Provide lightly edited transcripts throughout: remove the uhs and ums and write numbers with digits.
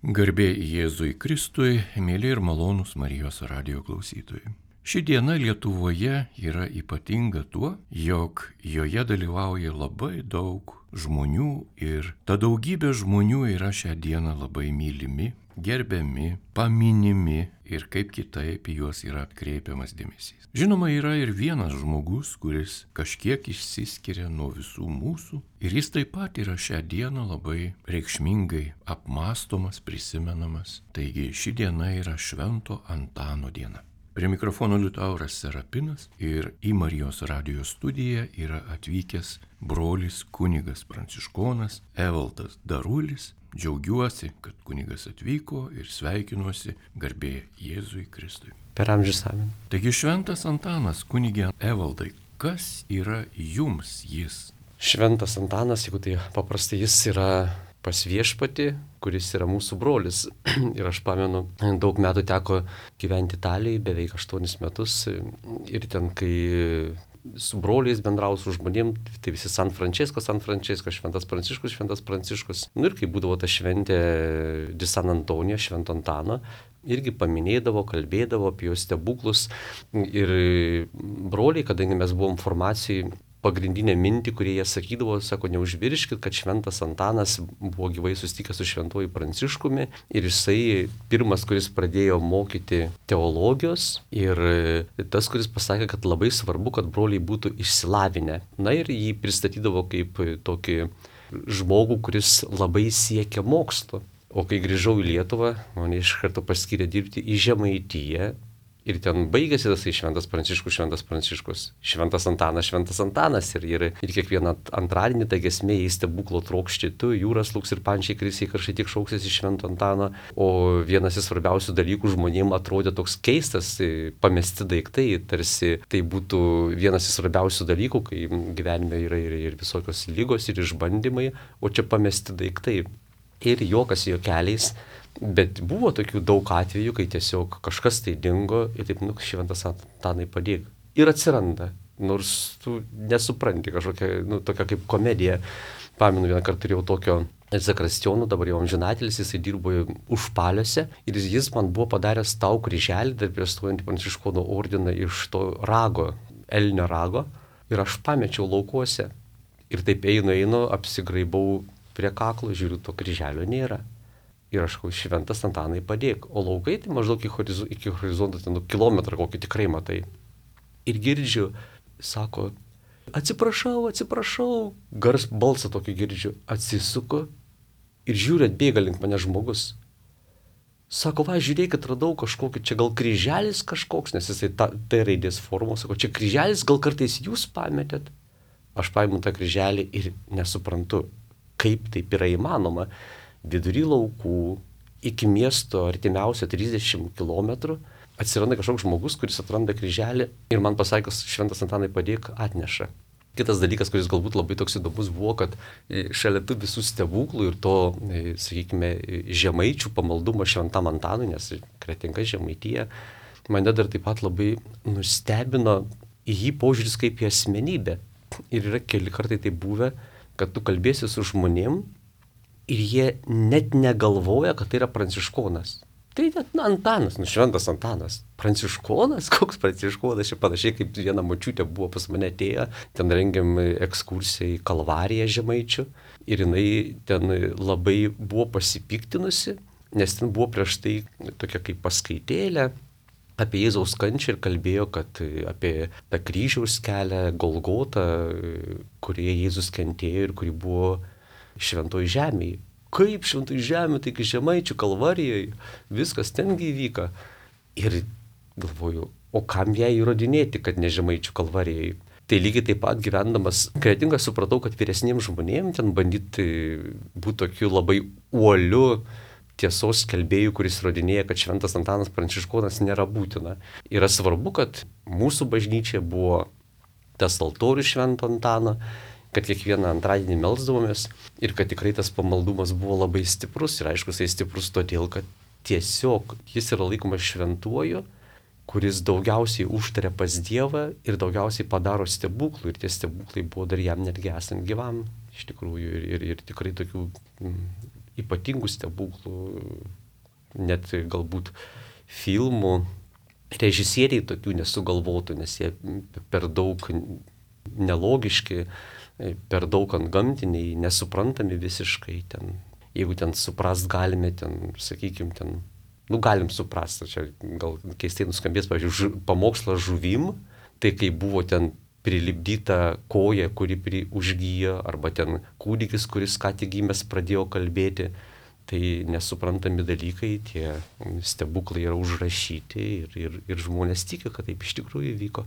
Garbė Jėzui Kristui, mėly ir malonūs Marijos radijo klausytojai. Ši diena Lietuvoje yra ypatinga tuo, jog joje dalyvauja labai daug žmonių ir ta daugybė žmonių yra šią dieną labai mylimi, gerbiami, paminimi ir kaip kitaip į juos yra atkreipiamas dėmesys. Žinoma, yra ir vienas žmogus, kuris kažkiek išsiskiria nuo visų mūsų ir jis taip pat yra šią dieną labai reikšmingai apmąstomas, prisimenamas. Taigi ši diena yra Švento Antano diena. Prie mikrofono Liutauras Serapinas ir į Marijos radijo studiją yra atvykęs brolis kunigas pranciškonas Evaldas Darulis. Džiaugiuosi, kad kunigas atvyko ir sveikinuosi garbė Jėzui Kristui. Per amžius amen. Taigi Šventas Antanas, kunigė Evaldai, kas yra jums jis? Šventas Antanas, jeigu tai paprastai, jis yra pas Viešpatį, kuris yra mūsų brolis. Ir aš pamenu, daug metų teko gyventi Italijai, beveik 8 metus. Ir ten, kai su broliais bendrau su žmonėm, tai visi San Francesco, Šventas Pranciškus. Ir kai būdavo ta šventė di San Antonio, Švento Antano, irgi paminėdavo, kalbėdavo apie jo stebuklus. Ir broliai, kadangi mes buvom formacijai, pagrindinę mintį, kurie jie sakydavo, sako, neužvirškit, kad Šventas Antanas buvo gyvai susitikęs su Šventuoju Pranciškumi ir jisai pirmas, kuris pradėjo mokyti teologijos ir tas, kuris pasakė, kad labai svarbu, kad broliai būtų išsilavinę. Na ir jį pristatydavo kaip tokį žmogų, kuris labai siekia mokslo. O kai grįžau į Lietuvą, mane iš karto paskyrė dirbti į Žemaitiją. Ir ten baigėsi tasai Šventas Pranciškus, Šventas Antanas. Ir kiekvieną antradienį ta giesmė į stebuklo trokšti tu, jūras lūks ir pančiai krisiai karštai tik šauksiasi Švento Antano. O vienas iš svarbiausių dalykų žmonėms atrodė toks keistas, pamesti daiktai, tarsi tai būtų vienas iš svarbiausių dalykų, kai gyvenime yra ir visokios lygos ir išbandymai, o čia pamesti daiktai. Ir juokas juokeliais. Bet buvo tokių daug atvejų, kai tiesiog kažkas tai dingo ir taip, Šventas Antanai padėk. Ir atsiranda, nors tu nesupranti kažkokia, tokia kaip komedija. Pamenu, vieną kartą turėjau tokio Zakristijono, dabar jau amžinatelis, jisai dirbo Užpaliuose ir jis man buvo padaręs tau kryželį, dar prieš stojant į Pranciškonų ordiną iš to rago, elnio rago, ir aš pamečiau laukuose. Ir taip einu, apsigraibau prie kaklo, žiūriu, to kryželio nėra. Ir aš Šventas Antanai padėk. O laukai tai maždaug iki horizonto, kilometrą kokį tikrai matai. Ir girdžiu, sako, atsiprašau, balsą tokį girdžiu, atsisuku ir žiūriu, atbėga link mane žmogus. Sako, žiūrėkit, radau kažkokį, čia gal kryželis kažkoks, nes jisai tai raidės formos, sako, čia kryželis, gal kartais jūs pametėt. Aš paimu tą kryželį ir nesuprantu, kaip taip yra įmanoma. Vidury laukų, iki miesto artimiausio 30 km, atsiranda kažkoks žmogus, kuris atranda kryželį ir man pasakęs, Šventas Antanai padėk, atneša. Kitas dalykas, kuris galbūt labai toks įdomus buvo, kad šalia tų visų stebuklų ir to, sakykime, žemaičių pamaldumo Šventam Antanui, nes Kretinga Žemaitija, mane dar taip pat labai nustebino į jį požiūris kaip į asmenybę. Ir yra keli kartai tai buvę, kad tu kalbėsi su žmonėm, ir jie net negalvoja, kad tai yra pranciškonas. Tai net Antanas, Šventas Antanas. Pranciškonas? Koks pranciškonas? Čia panašiai kaip viena močiutė buvo pas mane atėję, ten rengiam ekskursiją į Kalvariją Žemaičių. Ir jinai ten labai buvo pasipiktinusi, nes ten buvo prieš tai tokia kaip paskaitėlė apie Jėzaus kančią ir kalbėjo, kad apie tą kryžiaus kelią, Golgotą, kurioje Jėzus kentėjo ir kuri buvo Šventoj žemėje. Kaip Šventoj žemė, taigi Žemaičių Kalvarijoje, viskas tengi įvyka. Ir galvoju, o kam ją įrodinėti, kad ne Žemaičių Kalvarijoje? Tai lygiai taip pat gyvendamas Kretingą supratau, kad vyresniems žmonėms ten bandyti būti tokiu labai uoliu tiesos skelbėjų, kuris įrodinėja, kad Šventas Antanas Pranciškonas nėra būtina. Yra svarbu, kad mūsų bažnyčia buvo tas altorius Švento Antano, kad kiekvieną antradienį melsdavomės ir kad tikrai tas pamaldumas buvo labai stiprus. Ir aišku, jisai stiprus todėl, kad tiesiog jis yra laikomas šventuoju, kuris daugiausiai užtaria pas Dievą ir daugiausiai padaro stebuklų. Ir tie stebuklai buvo dar jam netgi esant gyvam, iš tikrųjų. Ir tikrai tokių ypatingų stebuklų, net galbūt filmų režisieriai tokių nesugalvotų, nes jie per daug nelogiški, per daug antgamtiniai, nesuprantami visiškai. Ten, jeigu ten suprast galime, ten, sakykime, ten, galim suprasti, čia gal keistai nuskambės, pavyzdžiui, pamokslas žuvim, tai kai buvo ten prilipdyta koja, kuri užgyja, arba ten kūdikis, kuris ką tik gimęs pradėjo kalbėti, tai nesuprantami dalykai, tie stebuklai yra užrašyti ir žmonės tiki, kad taip iš tikrųjų vyko.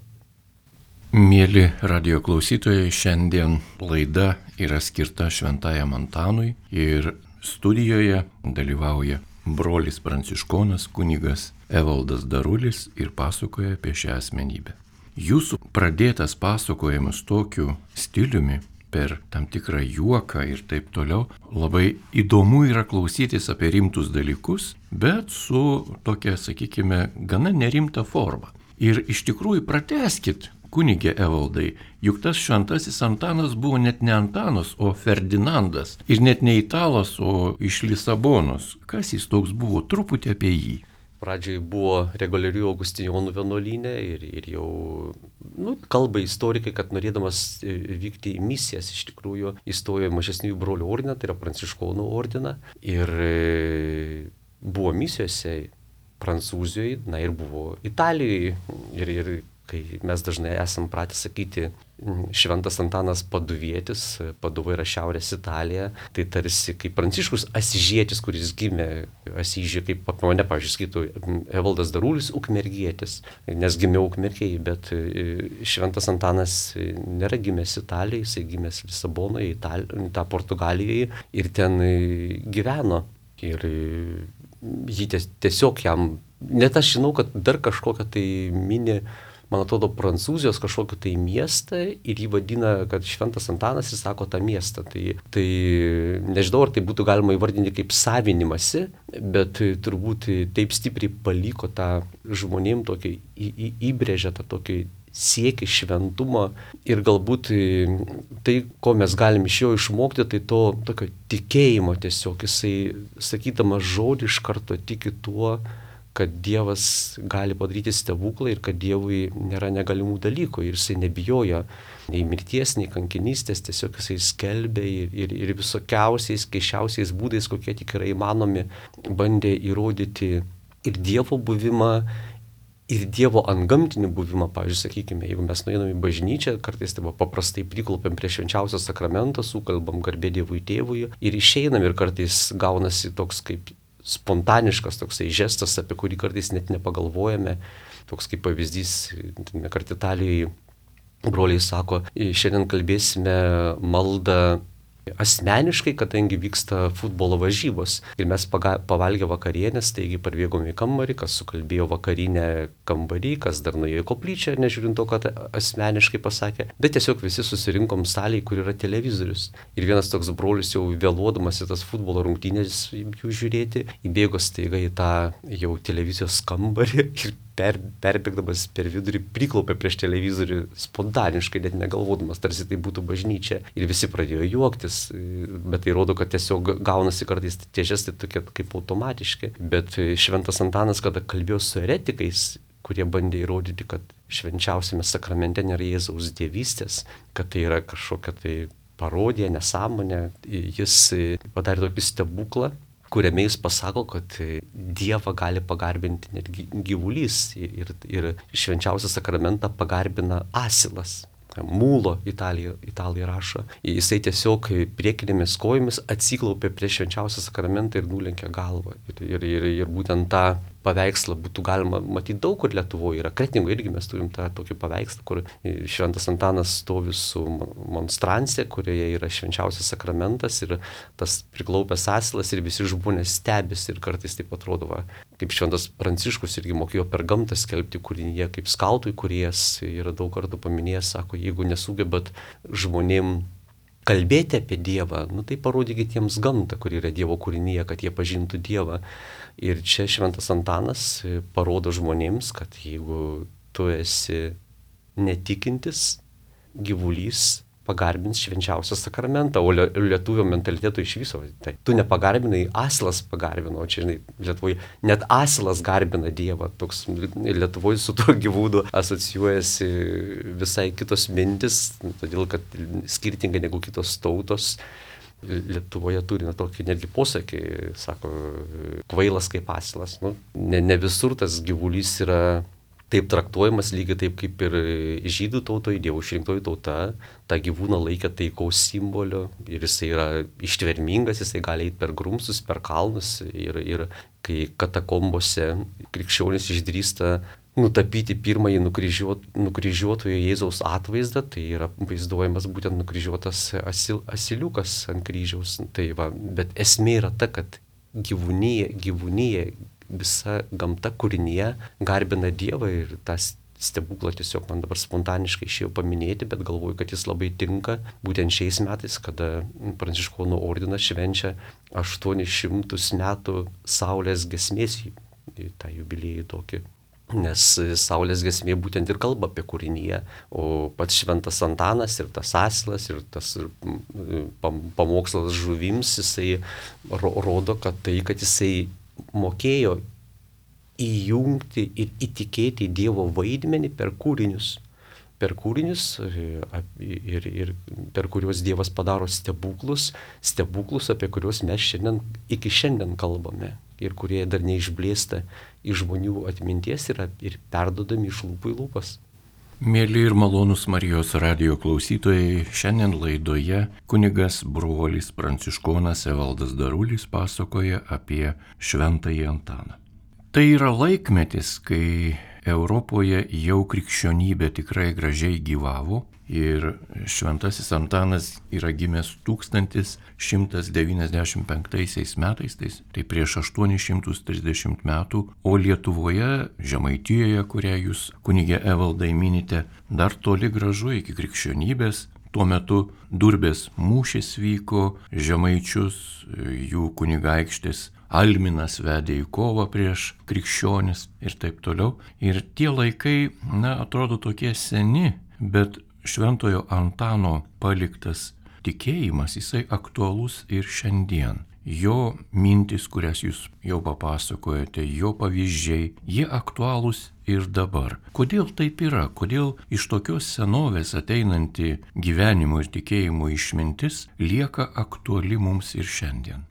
Mėly radio klausytojai, šiandien laida yra skirta Šventajam Antanui ir studijoje dalyvauja brolis pranciškonas kunigas Evaldas Darulis ir pasakoja apie šią asmenybę. Jūsų pradėtas pasakojimas tokiu stiliumi, per tam tikrą juoką ir taip toliau, labai įdomu yra klausytis apie rimtus dalykus, bet su tokia, sakykime, gana nerimta forma. Ir iš tikrųjų pratęskit, kunigė Evaldai, juk tas šventasis Antanas buvo net ne Antanas, o Ferdinandas. Ir net ne italas, o iš Lisabonos. Kas jis toks buvo? Truputį apie jį. Pradžiai buvo reguliarių Augustinijonų vienuolyne ir jau kalba istorikai, kad norėdamas vykti į misijas iš tikrųjų įstojo į mažesniųjų brolių ordiną, tai yra pranciškonų ordiną. Ir buvo misijose Prancūzijoje, ir buvo Italijoje. Ir kai mes dažnai esam pratę sakyti Šventas Antanas Paduvietis, Paduva yra Šiaurės Italija, tai tarsi kaip Pranciškus Asižietis, kuris gimė Asyžiuje, kaip mane, pavyzdžiui, skaitų Evaldas Darulis Ukmergietis, nes gimė Ukmergėje, bet Šventas Antanas nėra gimęs Italijoje, jisai gimęs Lisabonoje, tą Portugalijoje ir ten gyveno. Ir jį tiesiog jam, net aš žinau, kad dar kažkokią tai mini, man atrodo, Prancūzijos kažkokį tai miestą ir jį vadina, kad Šventas Antanas ir sako tą miestą. Tai nežinau, ar tai būtų galima įvardinti kaip savinimasi, bet turbūt taip stipriai paliko tą žmonėm tokį, įbrėžę tą tokį siekį šventumą ir galbūt tai, ko mes galim iš jo išmokti, tai to tokio tikėjimo tiesiog. Jisai, sakydamas žodį, iš karto tiki tuo, kad Dievas gali padaryti stebuklą ir kad Dievui nėra negalimų dalykų. Ir jisai nebijojo nei mirties, nei kankinystės, tiesiog jisai skelbė ir visokiausiais, keiščiausiais būdais, kokie tik yra įmanomi, bandė įrodyti ir Dievo buvimą, ir Dievo antgamtinį buvimą. Pavyzdžiui, sakykime, jeigu mes nueiname į bažnyčią, kartais tai paprastai priklaupiam prie švenčiausio sakramento, sukalbam garbė Dievui Tėvui ir išeinam ir kartais gaunasi toks kaip spontaniškas toksai žestas, apie kurį kartais net nepagalvojame. Toks kaip pavyzdys, kart Italijoje broliai sako, šiandien kalbėsime maldą asmeniškai, kadangi vyksta futbolo varžybos. Ir mes pavalgę vakarienės, taigi parvėgome į kambarį, kas sukalbėjo vakarinę kambarį, kas dar nuėjo į koplyčią, nežiūrint to, kad asmeniškai pasakė. Bet tiesiog visi susirinkom salėje, kur yra televizorius. Ir vienas toks brolis jau vėluodamas į tas futbolo rungtynės jų žiūrėti, įbėgo staiga į tą jau televizijos kambarį ir perbėgdamas per vidurį priklaupė prieš televizorių spontaniškai, net negalvodamas, tarsi tai būtų bažnyčia. Ir visi pradėjo juoktis, bet tai rodo, kad tiesiog gaunasi kartais tie žestai tokie kaip automatiški. Bet Šventas Antanas, kada kalbėjo su eretikais, kurie bandė įrodyti, kad švenčiausiame sakramente nėra Jėzaus dievystės, kad tai yra kažkokia tai parodija, nesąmonė, jis padarė tokį stebuklą, kuriame jis pasako, kad Dievą gali pagarbinti net gyvulys ir švenčiausią sakramentą pagarbina asilas. Mūlo italai rašo. Jisai tiesiog priekinėmis kojomis atsiklaupė prieš švenčiausią sakramentą ir nulenkė galvą. Ir būtent tą paveikslą būtų galima matyti daug kur Lietuvoje. Yra Kretingoje irgi mes turim tą tokį paveikslą, kur Šventas Antanas stovi su monstrancija, kurioje yra švenčiausias sakramentas ir tas priklaupęs asilas ir visi žmonės stebisi ir kartais taip atrodo, kaip Šventas Pranciškus irgi mokėjo per gamtą skelbti kūrinyje, kaip skautų įkūrėjas yra daug kartų paminėjęs, sako, jeigu nesugebat žmonėm kalbėti apie Dievą, tai parodykit jiems gamtą, kur yra Dievo kūrinyje, kad jie pažintų Dievą. Ir čia Šventas Antanas parodo žmonėms, kad jeigu tu esi netikintis gyvulys, pagarbins švenčiausią sakramentą, o lietuvio mentaliteto iš viso. Tai tu nepagarbinai, asilas pagarbino, čia, žinai, Lietuvoje net asilas garbina Dievą, toks Lietuvoje su tuo gyvūnu asocijuojasi visai kitos mintis, todėl kad skirtingai negu kitos tautos. Lietuvoje turi tokį netgi posakį, sako, kvailas kaip asilas. Ne visur tas gyvulys yra taip traktuojamas, lygiai taip kaip ir žydų tautoje, Dievo išrinktoji tauta, tą gyvūną laikė taikaus simboliu ir jisai yra ištvermingas, jisai gali eiti per grumsus, per kalnus ir kai katakombose krikščionys išdrįsta nutapyti pirmąjį nukryžiuotojo Jėzaus atvaizdą, tai yra vaizduojamas būtent nukryžiuotas asiliukas ant kryžiaus. Tai va, bet esmė yra ta, kad gyvūnija, visa gamta kūrinyje garbina Dievą ir tas stebuklą tiesiog man dabar spontaniškai išėjo paminėti, bet galvoju, kad jis labai tinka būtent šiais metais, kada Pranciškonų ordinas švenčia 800 metų Saulės giesmės, tą jubiliejų tokį. Nes Saulės giesmė būtent ir kalba apie kūrinyje, o pats šventas Antanas ir tas asilas ir tas pamokslas žuvims, jisai rodo, kad jisai mokėjo įjungti ir įtikėti Dievo vaidmenį per kūrinius, ir per kuriuos Dievas padaro stebuklus, apie kuriuos mes iki šiandien kalbame ir kurie dar neišblėsta iš žmonių atminties ir perdodami iš lūpų į lūpas. Mėly ir malonūs Marijos radijo klausytojai, šiandien laidoje kunigas brolis pranciškonas Evaldas Darulis pasakoja apie Šventąjį Antaną. Tai yra laikmetis, kai Europoje jau krikščionybė tikrai gražiai gyvavo ir Šventasis Antanas yra gimęs 1195 metais, tai prieš 830 metų, o Lietuvoje, Žemaitijoje, kurią jūs, kunige Evaldai, minite, dar toli gražu iki krikščionybės. Tuo metu Durbės mūšis vyko, žemaičius, jų kunigaikštis Alminas vedė į kovą prieš krikščionis ir taip toliau. Ir tie laikai, atrodo tokie seni, bet Šventojo Antano paliktas tikėjimas, jisai aktualus ir šiandien. Jo mintis, kurias jūs jau papasakojate, jo pavyzdžiai, jie aktualūs ir dabar. Kodėl taip yra? Kodėl iš tokios senovės ateinanti gyvenimo ir tikėjimo išmintis lieka aktuali mums ir šiandien?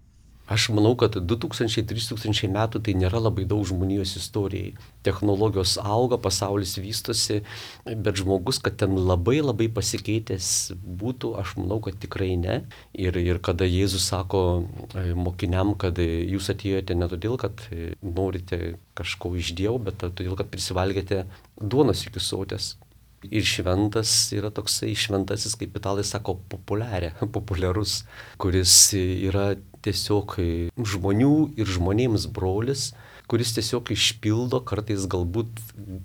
Aš manau, kad 2000-3000 metų tai nėra labai daug žmonijos istorijai. Technologijos auga, pasaulis vystosi, bet žmogus, kad ten labai pasikeitęs būtų, aš manau, kad tikrai ne. Ir kada Jėzus sako mokiniam, kad jūs atėjote ne todėl, kad norite kažko iš Dievo, bet todėl, kad prisivalgėte duonos iki sotės. Ir šventas yra toksai šventasis, kaip italai sako, populiarus, kuris yra tiesiog žmonių ir žmonėms brolis, kuris tiesiog išpildo kartais galbūt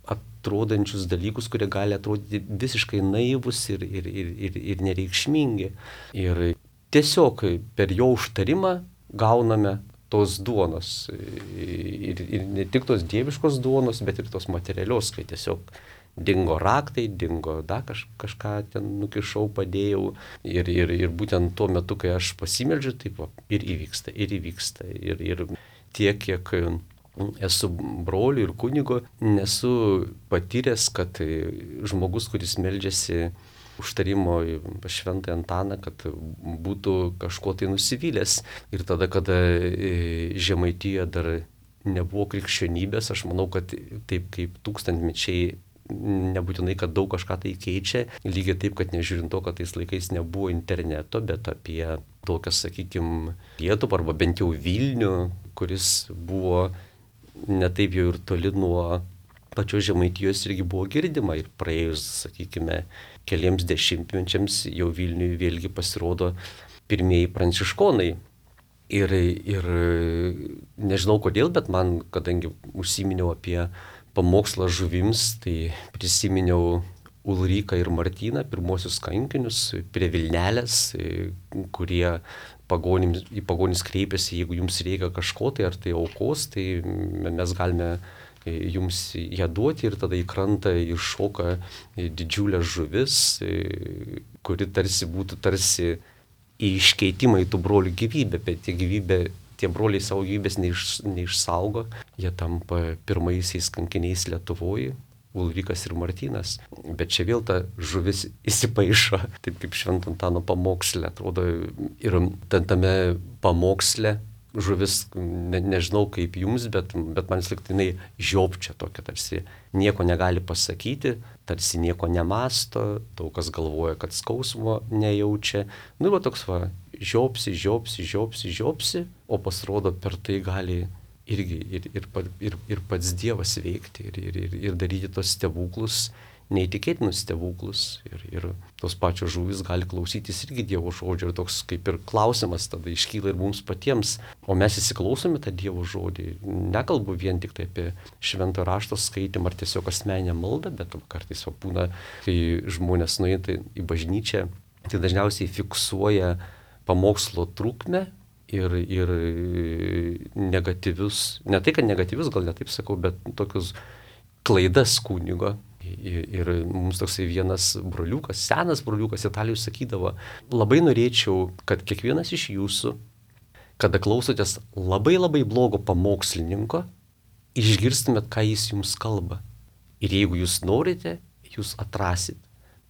atrodančius dalykus, kurie gali atrodyti visiškai naivus ir nereikšmingi. Ir tiesiog per jo užtarimą gauname tos duonos. Ir ne tik tos dieviškos duonos, bet ir tos materialios, kai tiesiog dingo raktai, dingo kažką ten nukišau, padėjau. Ir būtent tuo metu, kai aš pasimeldžiu, taip ir įvyksta. Ir tiek, kiek esu broliu ir kunigo, nesu patyręs, kad žmogus, kuris meldžiasi užtarimo pas Šventąjį Antaną, kad būtų kažko tai nusivylęs. Ir tada, kada Žemaitijoje dar nebuvo krikščionybės, aš manau, kad taip kaip tūkstantmečiai nebūtinai, kad daug kažką tai keičia, lygiai taip, kad nežiūrint to, kad tais laikais nebuvo interneto, bet apie tokias, sakykime, Lietuvą arba bent jau Vilnių, kuris buvo netaip jau ir toli nuo pačios Žemaitijos, irgi buvo girdima. Ir praėjus, sakykime, keliems dešimtmečiams jau Vilniui vėlgi pasirodo pirmieji pranciškonai. Ir nežinau kodėl, bet man, kadangi užsiminiau apie pamokslą žuvims, tai prisiminiau Ulriką ir Martyną, pirmosius kankinius prie Vilnelės, kurie į pagonis kreipėsi, jeigu jums reikia kažko, tai ar tai aukos, tai mes galime jums ją duoti, ir tada į krantą iššoka didžiulės žuvis, kuri tarsi būtų į iškeitimą į tų brolių gyvybę, bet tie broliai savo gyvybės neišsaugo, jie tampa pirmaisiais kankiniais Lietuvoje, Ulrikas ir Martynas. Bet čia vėl ta žuvis įsipaišo, taip kaip Švento Antano pamoksle, atrodo, ir tame pamoksle žuvis, nežinau kaip jums, bet man liktinai žiopčia tokia, tarsi nieko negali pasakyti, tarsi nieko nemasto, daug kas galvoja, kad skausmo nejaučia. Va toks žiopsi, o pasirodo per tai gali irgi ir pats Dievas veikti ir daryti tos stebuklus, neįtikėtinus stebuklus. Ir tos pačios žuvys gali klausytis irgi Dievo žodžio. Ir toks kaip ir klausimas tada iškyla ir mums patiems. O mes įsiklausome tą Dievo žodį. Nekalbu vien tik tai apie švento rašto skaitimą ar tiesiog asmeninę maldą, bet kartais būna, kai žmonės nueina į bažnyčią, tai dažniausiai fiksuoja pamokslo trukmę ir negatyvius, ne tai, kad negatyvius, gal ne taip sakau, bet tokius klaidas kunigo. Ir mums toksai vienas broliukas, senas broliukas Italijoj sakydavo, labai norėčiau, kad kiekvienas iš jūsų, kada klausotės labai labai blogo pamokslininko, išgirstumėt, ką jis jums kalba. Ir jeigu jūs norite, jūs atrasit.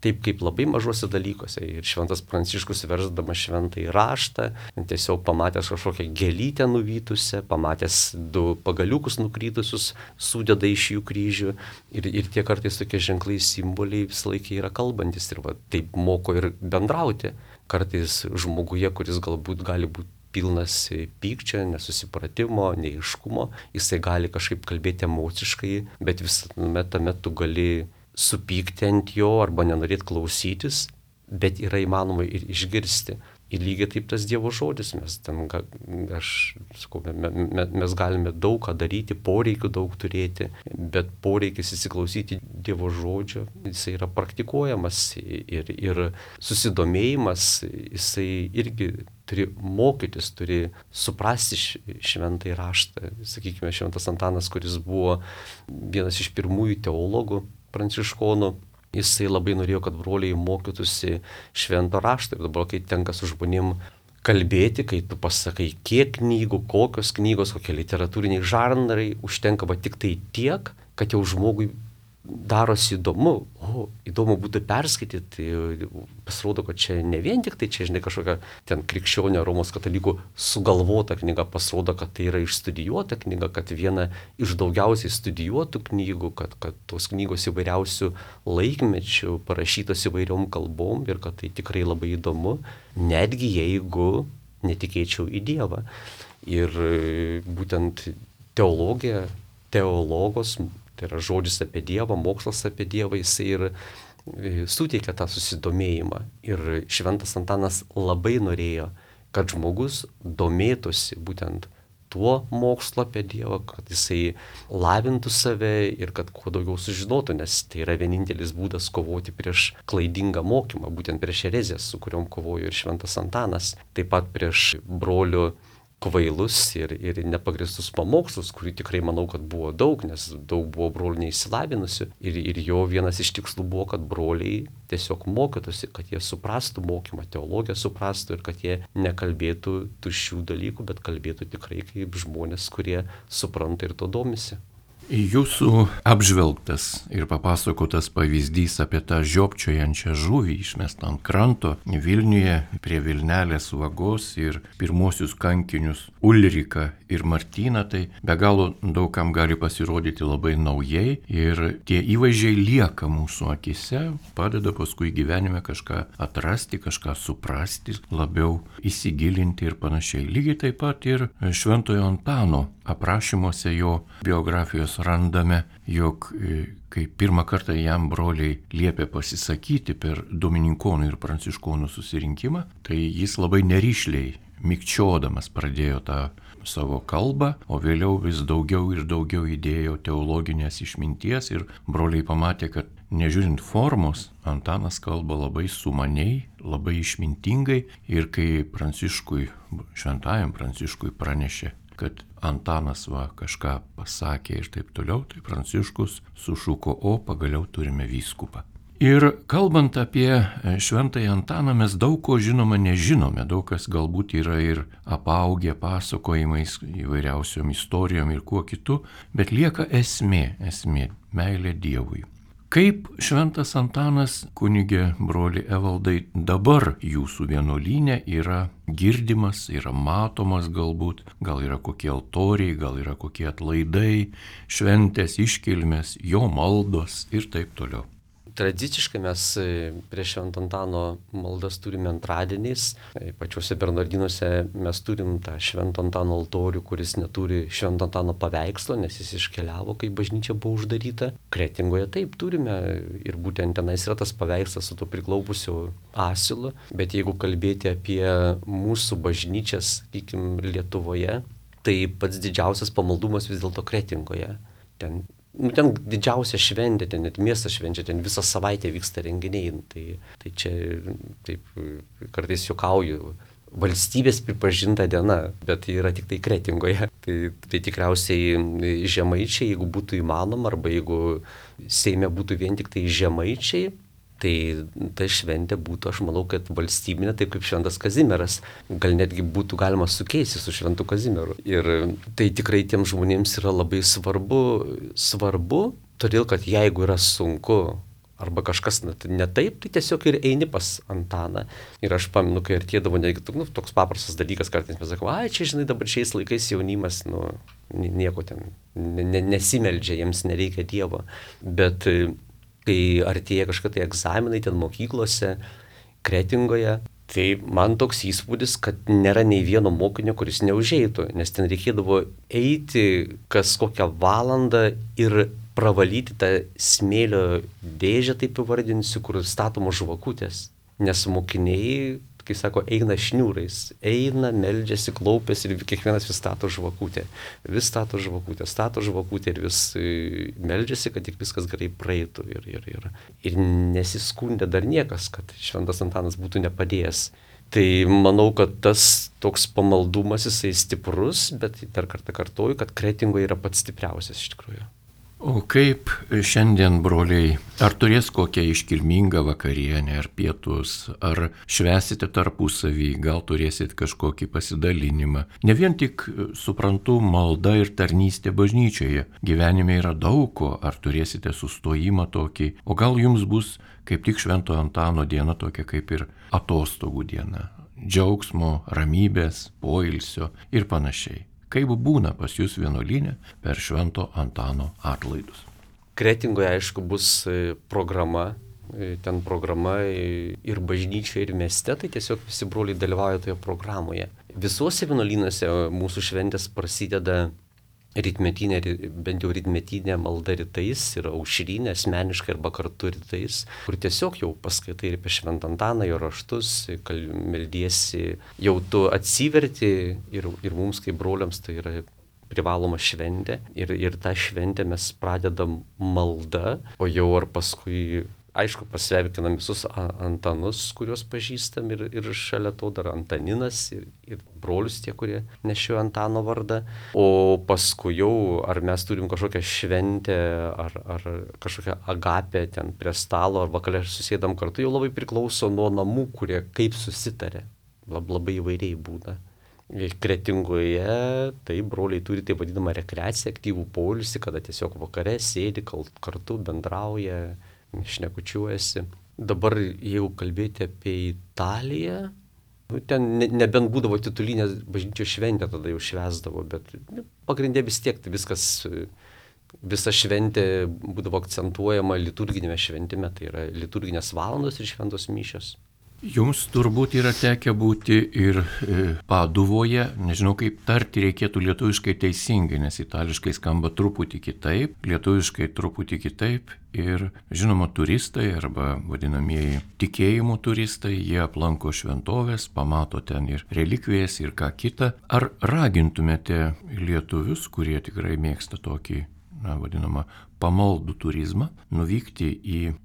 Taip kaip labai mažuose dalykuose. Ir šventas Pranciškus versdamas šventąjį raštą, tiesiog pamatęs kažkokią gėlytę nuvytusią, pamatęs 2 pagaliukus nukrytusius, sudeda iš jų kryžių. Ir tie kartais tokie ženklai, simboliai visą laiką yra kalbantis. Ir taip moko ir bendrauti. Kartais žmoguje, kuris galbūt gali būti pilnas pykčio, nesusipratimo, neaiškumo, jisai gali kažkaip kalbėti emociškai, bet visame tame tu gali supykti ant jo arba nenorėti klausytis, bet yra įmanoma ir išgirsti. Ir lygiai taip tas Dievo žodis, mes galime daug ką daryti, poreikių daug turėti, bet poreikis įsiklausyti Dievo žodžio, jisai yra praktikuojamas ir susidomėjimas, jisai irgi turi mokytis, turi suprasti šventąjį raštą. Sakykime, šventas Antanas, kuris buvo vienas iš pirmųjų teologų pranciškonų, jisai labai norėjo, kad broliai mokytųsi švento rašto. Ir dabar, kai tenka su žmonėm kalbėti, kai tu pasakai, kiek knygų, kokios knygos, kokie literatūriniai žanrai, užtenka tik tai tiek, kad jau žmogui darosi įdomu. Įdomu būtų perskaityti. Pasirodo, kad čia ne vien tik tai čia, kažkokia ten krikščionio Romos katalikų sugalvota knyga, pasirodo, kad tai yra išstudijuota knyga, kad viena iš daugiausiai studijuotų knygų, kad tos knygos įvairiausių laikmečių parašytos įvairiom kalbom ir kad tai tikrai labai įdomu, netgi jeigu netikėčiau į Dievą. Ir būtent teologija, teologos, tai yra žodis apie Dievą, mokslas apie Dievą, jisai ir suteikia tą susidomėjimą. Ir šventas Antanas labai norėjo, kad žmogus domėtųsi būtent tuo mokslu apie Dievą, kad jisai lavintų save ir kad kuo daugiau sužinotų, nes tai yra vienintelis būdas kovoti prieš klaidingą mokymą, būtent prieš erezijas, su kuriuom kovojo ir šventas Antanas, taip pat prieš brolių kvailus ir nepagristus pamokslus, kurių tikrai manau, kad buvo daug, nes daug buvo brolių neįsilavinusių. Ir jo vienas iš tikslų buvo, kad broliai tiesiog mokytųsi, kad jie suprastų mokymą, teologiją suprastų ir kad jie nekalbėtų tuščių dalykų, bet kalbėtų tikrai kaip žmonės, kurie supranta ir to domisi. Jūsų apžvelgtas ir papasakotas pavyzdys apie tą žiopčiojančią žuvį išmestą ant kranto Vilniuje prie Vilnelės vagos ir pirmosius kankinius Ulriką ir Martyną, tai be galo daugam gali pasirodyti labai naujai ir tie įvaizdžiai lieka mūsų akise, padeda paskui gyvenime kažką atrasti, kažką suprasti, labiau įsigilinti ir panašiai. Lygiai taip pat ir Šventojo Antano aprašymuose jo biografijos randame, jog kai pirmą kartą jam broliai liepė pasisakyti per dominikonų ir pranciškonų susirinkimą, tai jis labai neryšliai, mikčiodamas pradėjo tą savo kalbą, o vėliau vis daugiau ir daugiau įdėjo teologinės išminties ir broliai pamatė, kad nežiūrint formos, Antanas kalba labai sumaniai, labai išmintingai ir kai šventajam Pranciškui pranešė, kad Antanas kažką pasakė ir taip toliau, tai Pranciškus sušuko, pagaliau turime vyskupą. Ir kalbant apie Šventąjį Antaną, mes daug ko žinoma nežinome, daug kas galbūt yra ir apaugę pasakojimais, įvairiausiom istorijom ir kuo kitu, bet lieka esmė - meilė Dievui. Kaip Šventas Antanas, kunigė broli Evaldai, dabar jūsų vienuolyne yra girdimas, yra matomas galbūt, gal yra kokie altoriai, gal yra kokie atlaidai, šventės, iškilmės, jo maldos ir taip toliau. Tradiciškai mes prie Švento Antano maldas turime antradieniais. Pačiuose Bernardinuose mes turim tą Švento Antano altorių, kuris neturi Švento Antano paveikslo, nes jis iškeliavo, kai bažnyčia buvo uždaryta. Kretingoje taip turime ir būtent tenais yra tas paveikslas su to priklaupusiu asilu. Bet jeigu kalbėti apie mūsų bažnyčias, sakykim, Lietuvoje, tai pats didžiausias pamaldumas vis dėlto Kretingoje. Ten didžiausia šventė, ten net miestas švenčia, ten visą savaitę vyksta renginiai. Tai čia taip kartais juokauju, valstybės pripažinta diena, bet tai yra tik tai Kretingoje. Tai tikriausiai žemaičiai, jeigu būtų įmanoma, arba jeigu Seime būtų vien tik tai žemaičiai, tai ta šventė būtų, aš manau, kad valstybinė, taip kaip Šventas Kazimieras. Gal netgi būtų galima sukeisti su Šventu Kazimieru. Ir tai tikrai tiem žmonėms yra labai svarbu, todėl kad jeigu yra sunku arba kažkas ne taip, tai tiesiog ir eini pas Antaną. Ir aš pamenu, kai artėdavo netgi toks paprastas dalykas, kartais mes sakome, čia žinai, dabar šiais laikais jaunimas, nieko ten nesimeldžia, jiems nereikia Dievo. Bet kai artėja kažkokie egzaminai ten mokyklose, Kretingoje, tai man toks įspūdis, kad nėra nei vieno mokinio, kuris neužeitų, nes ten reikėdavo eiti kas kokią valandą ir pravalyti tą smėlio dėžę, taip įvardinsiu, kur statomos žvakutės. Nes mokiniai, kai sako, eina šniūrais, eina, meldžiasi, klaupiasi ir kiekvienas vis stato žvakutę. Vis stato žvakutę ir vis meldžiasi, kad tik viskas gerai praeitų. Ir nesiskundė dar niekas, kad Šventas Antanas būtų nepadėjęs. Tai manau, kad tas toks pamaldumas jisai stiprus, bet dar kartą kartuoju, kad Kretingoje yra pats stipriausias iš tikrųjų. O kaip šiandien, broliai, ar turės kokią iškilmingą vakarienę, ar pietus, ar švęsite tarpusavį, gal turėsit kažkokį pasidalinimą? Ne vien tik, suprantu, malda ir tarnystė bažnyčioje. Gyvenime yra daug ko, ar turėsite sustojimą tokį, o gal jums bus kaip tik Švento Antano diena tokia kaip ir atostogų diena. Džiaugsmo, ramybės, poilsio ir panašiai. Kaip būna pas jūs vienuolyne per Švento Antano atlaidus? Kretingoje, aišku, bus programa, ten programa ir bažnyčioje, ir mieste, tai tiesiog visi broliai dalyvauja toje programoje. Visuose vienuolynuose mūsų šventės prasideda rytmetinė, bent jau rytmetinė malda rytais ir aušrinė, asmeniškai arba kartu rytais, kur tiesiog jau paskaitai ir apie Šventą Antaną, jo raštus, meldiesi, jau tu atsiverti ir mums kaip broliams tai yra privaloma šventė ir tą šventę mes pradedam malda, o jau ar paskui, aišku, pasveikinam visus Antanus, kuriuos pažįstam ir šalia to dar Antaninas ir brolius tie, kurie nešioja Antano vardą. O paskui jau, ar mes turim kažkokią šventę, ar kažkokią agapę ten prie stalo, ar vakare susėdam kartu, jau labai priklauso nuo namų, kurie kaip susitarė. Labai įvairiai būna. Kretingoje tai broliai turi taip vadinamą rekreaciją, aktyvų poilsį, kada tiesiog vakare sėdi kartu, bendrauja, šnekučiuojasi. Dabar, jeigu kalbėti apie Italiją, ten nebent būdavo titulinė bažnyčios šventė, tada jau švęsdavo, bet pagrindė vis tiek tai viskas, visa šventė būdavo akcentuojama liturginėme šventime, tai yra liturginės valandos ir šventos mišios. Jums turbūt yra tekę būti ir Paduvoje, nežinau kaip tarti reikėtų lietuviškai teisingai, nes itališkai skamba truputį kitaip, lietuviškai truputį kitaip ir žinoma turistai arba vadinamieji tikėjimo turistai, jie aplanko šventovės, pamato ten ir relikvijas ir ką kita. Ar ragintumėte lietuvius, kurie tikrai mėgsta tokį, vadinamą, pamaldų turizmą, nuvykti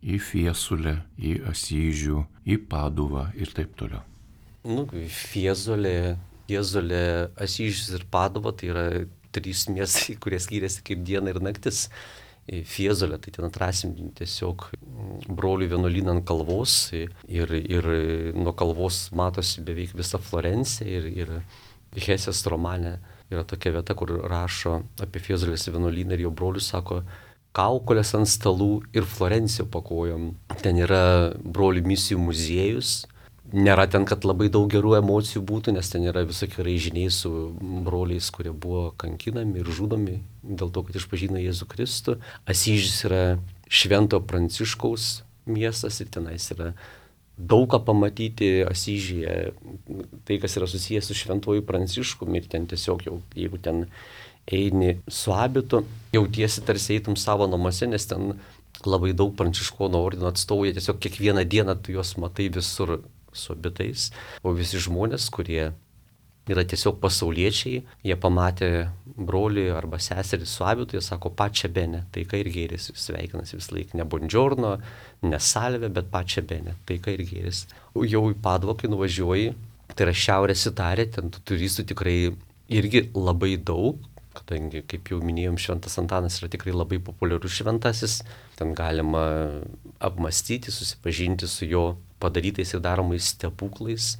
į Fiesulę, į Asyžių, į Paduvą ir taip toliau? Fiesole, Asyžius ir Paduva tai yra 3 miestai, kurie skiriasi kaip diena ir naktis. Fiesole, tai ten atrasim tiesiog brolių vienuolyną ant kalvos ir nuo kalvos matosi beveik visa Florencija ir Hesės romane yra tokia vieta, kur rašo apie Fiezolės vienuolyną ir jo brolius sako, kaukolės ant stalų ir Florenciją pakojom. Ten yra brolių misijų muziejus. Nėra ten, kad labai daug gerų emocijų būtų, nes ten yra visokie raižiniai su broliais, kurie buvo kankinami ir žudomi dėl to, kad išpažino Jėzų Kristų. Asyžis yra Švento Pranciškaus miestas ir tenais yra daug ką pamatyti Asyžyje. Tai, kas yra susijęs su Šventuoju Pranciškumi ir ten tiesiog jau, jeigu ten eini su abitu, jautiesi tarsi eitum savo namuose, nes ten labai daug pranciškonų ordino atstovų, jie tiesiog kiekvieną dieną tu juos matai visur su abitais, o visi žmonės, kurie yra tiesiog pasauliečiai, jie pamatė brolį arba seserį su abitu, jie sako pačia bene, taika ir gėris, sveikinasi vis laik, ne buongiorno, ne salve, bet pačia bene, taika ir gėris. Jau į Paduvą, kai nuvažiuoji, tai yra Šiaurės Italija, ten turistų tikrai irgi labai daug, kadangi, kaip jau minėjom, Šventas Antanas yra tikrai labai populiarus šventasis, ten galima apmastyti, susipažinti su jo padarytais ir daromais stebuklais.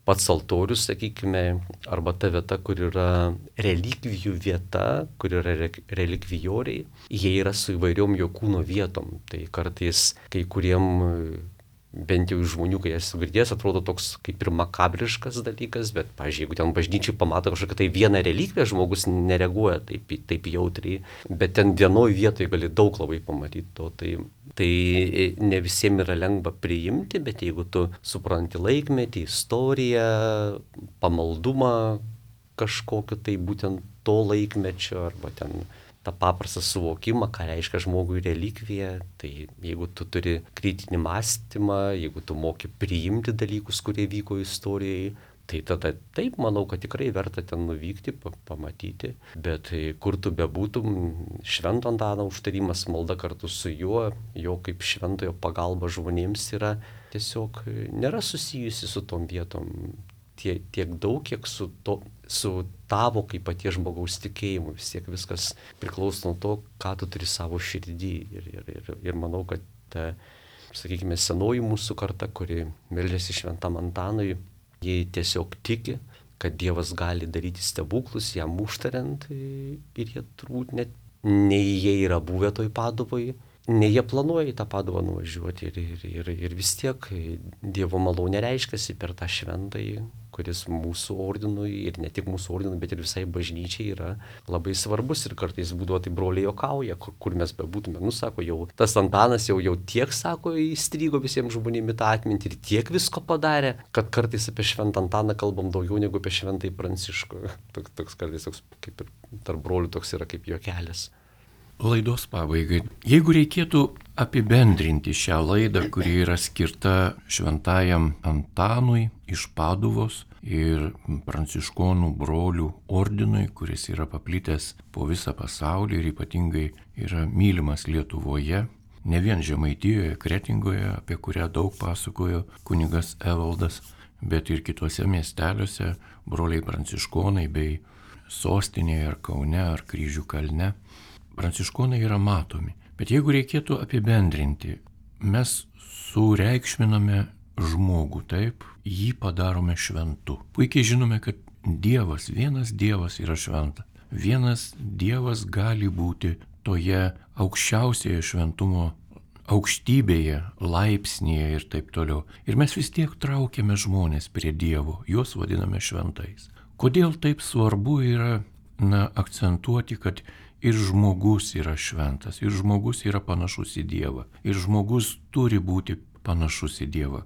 Pats altorius, sakykime, arba ta vieta, kur yra relikvijų vieta, kur yra relikvijoriai, jie yra su įvairiom jo kūno vietom. Tai kartais kai kuriem bent jau iš žmonių, kai esu girdėjęs, atrodo toks kaip ir makabriškas dalykas, bet, pavyzdžiui, jeigu ten bažnyčiai pamato kažkokią tai vieną relikviją, žmogus nereaguoja taip jautriai, bet ten vienoje vietoje gali daug labai pamatyti to. Tai ne visiems yra lengva priimti, bet jeigu tu supranti laikmetį, istoriją, pamaldumą kažkokiu, tai būtent to laikmečio arba ten tą paprastą suvokimą, ką reiškia žmogui relikvija, tai jeigu tu turi kritinį mąstymą, jeigu tu moki priimti dalykus, kurie vyko istorijai, tai tada taip, manau, kad tikrai verta ten nuvykti, pamatyti, bet kur tu bebūtum, Švento Antano užtarimas, malda kartu su juo, jo kaip šventojo pagalba žmonėms yra tiesiog nėra susijusi su tom vietom tiek daug, kiek su tavo kaip paties žmogaus tikėjimu. Vis tiek viskas priklauso nuo to, ką tu turi savo širdį. Ir manau, kad ta, sakykime, senoji mūsų karta, kuri meldžiasi Šventam Antanui, jie tiesiog tiki, kad Dievas gali daryti stebuklus, jam užtariant, ir jie turbūt net nei jie yra buvę toj Paduvoj, nei jie planuoja į tą Paduvą nuvažiuoti. Ir vis tiek Dievo malonė reiškiasi per tą šventąjį, kuris mūsų ordinui ir ne tik mūsų ordinui, bet ir visai bažnyčiai yra labai svarbus. Ir kartais būdavo tai broliai juokauja, kur mes bebūtume. Sako, jau tas Antanas jau tiek, sako, įstrigo visiems žmonėms tą atmintį ir tiek visko padarė, kad kartais apie Šventą Antaną kalbam daugiau negu apie Šventąjį Pranciškų. Toks kartais toks, kaip ir tarp brolių toks yra kaip juokelis. Laidos pabaigai. Jeigu reikėtų apibendrinti šią laidą, kuri yra skirta Šventajam Antanui iš Paduvos ir pranciškonų brolių ordinui, kuris yra paplitęs po visą pasaulį ir ypatingai yra mylimas Lietuvoje, ne vien Žemaitijoje, Kretingoje, apie kurią daug pasakojo kunigas Evaldas, bet ir kitose miesteliuose broliai pranciškonai bei sostinėje ar Kaune ar Kryžių kalne. Pranciškonai yra matomi, bet jeigu reikėtų apibendrinti, mes sureikšminame žmogų, taip, jį padarome šventu. Puikiai žinome, kad Dievas, vienas Dievas yra šventas. Vienas Dievas gali būti toje aukščiausioje šventumo aukštybėje, laipsnėje ir taip toliau. Ir mes vis tiek traukiame žmonės prie Dievo, juos vadiname šventais. Kodėl taip svarbu yra akcentuoti, kad ir žmogus yra šventas, ir žmogus yra panašus į Dievą, ir žmogus turi būti panašus į Dievą.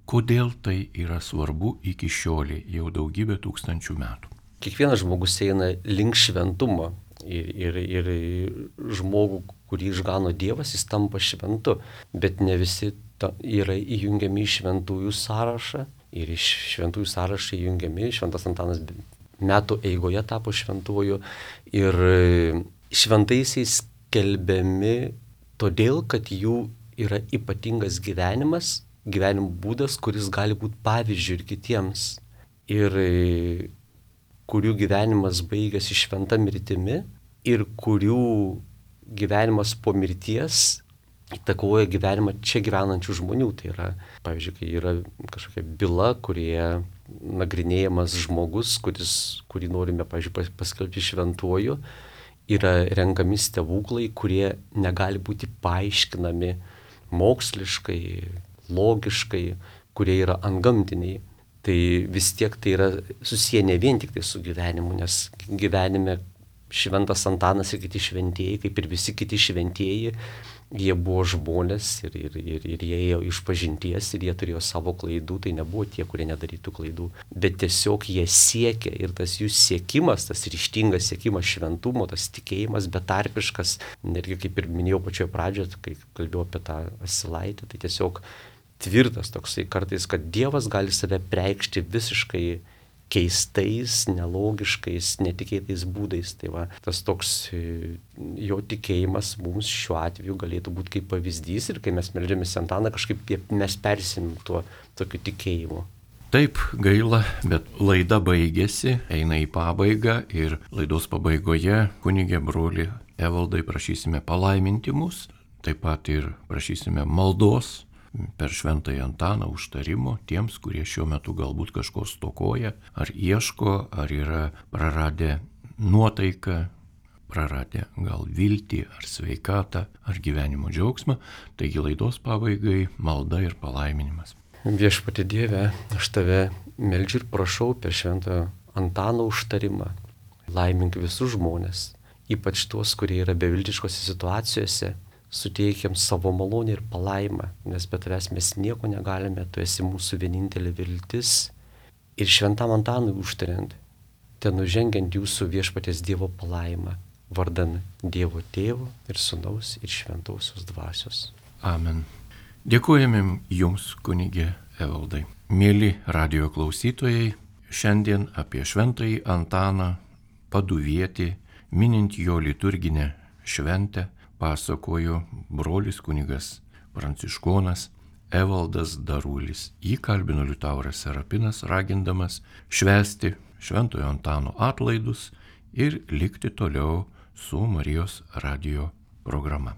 Kodėl tai yra svarbu iki šiolei, jau daugybę tūkstančių metų? Kiekvienas žmogus eina link šventumo ir žmogų, kurį išgano Dievas, jis tampa šventu, bet ne visi yra įjungiami į šventųjų sąrašą ir iš šventųjų sąrašą įjungiami. Šventas Antanas metų eigoje tapo šventuoju ir šventaisiais skelbiami todėl, kad jų yra ypatingas gyvenimo būdas, kuris gali būti pavyzdžiu ir kitiems ir kurių gyvenimas baigėsi šventa mirtimi ir kurių gyvenimas po mirties įtakoja gyvenimą čia gyvenančių žmonių. Tai yra, pavyzdžiui, kai yra kažkokia byla, kurioje nagrinėjamas žmogus, kurį norime, pavyzdžiui, paskelbti šventuoju, yra renkami stebuklai, kurie negali būti paaiškinami moksliškai, logiškai, kurie yra antgamtiniai. Tai vis tiek tai yra susiję ne vien tik tai su gyvenimu, nes gyvenime šventas Antanas ir kiti šventieji, kaip ir visi kiti šventieji, jie buvo žmonės ir jie ėjo iš pažinties ir jie turėjo savo klaidų, tai nebuvo tie, kurie nedarytų klaidų, bet tiesiog jie siekė ir tas jų siekimas, tas ryžtingas siekimas šventumo, tas tikėjimas betarpiškas, netgi kaip ir minėjau pačioje pradžioje, kai kalbėjau apie tą Asilaitį, tai tiesiog tvirtas toksai kartais, kad Dievas gali save preikšti visiškai keistais, nelogiškais, netikėtais būdais. Tai va, tas toks jo tikėjimas mums šiuo atveju galėtų būti kaip pavyzdys ir kai mes meldžiamės Antaną, kažkaip mes persim tuo tokiu tikėjimu. Taip, gaila, bet laida baigėsi, eina į pabaigą ir laidos pabaigoje kunigė broli Evaldai prašysime palaiminti mus, taip pat ir prašysime maldos per šventąjį Antaną užtarimo tiems, kurie šiuo metu galbūt kažko stokoja, ar ieško, ar yra praradę nuotaiką, praradę gal viltį, ar sveikatą, ar gyvenimo džiaugsmą. Taigi laidos pabaigai malda ir palaiminimas. Viešpatie Dieve, aš tave meldžiu ir prašau per šventojo Antano užtarimą. Laimink visus žmonės, ypač tuos, kurie yra beviltiškose situacijose. Suteikiam savo malonę ir palaimą, nes be tavęs mes nieko negalime, tu esi mūsų vienintelė viltis. Ir šventam Antanui užtariant, ten nužengiant jūsų viešpaties Dievo palaimą, vardan Dievo Tėvo ir Sūnaus ir Šventosios Dvasios. Amen. Dėkojame jums, kunigė Evaldai. Mėly radijo klausytojai, šiandien apie šventąjį Antaną Paduvietį, minint jo liturginę šventę, pasakojo brolis kunigas pranciškonas Evaldas Darulis. Jį kalbino Liutauras Serapinas, ragindamas švęsti šventojo Antano atlaidus ir likti toliau su Marijos radijo programa.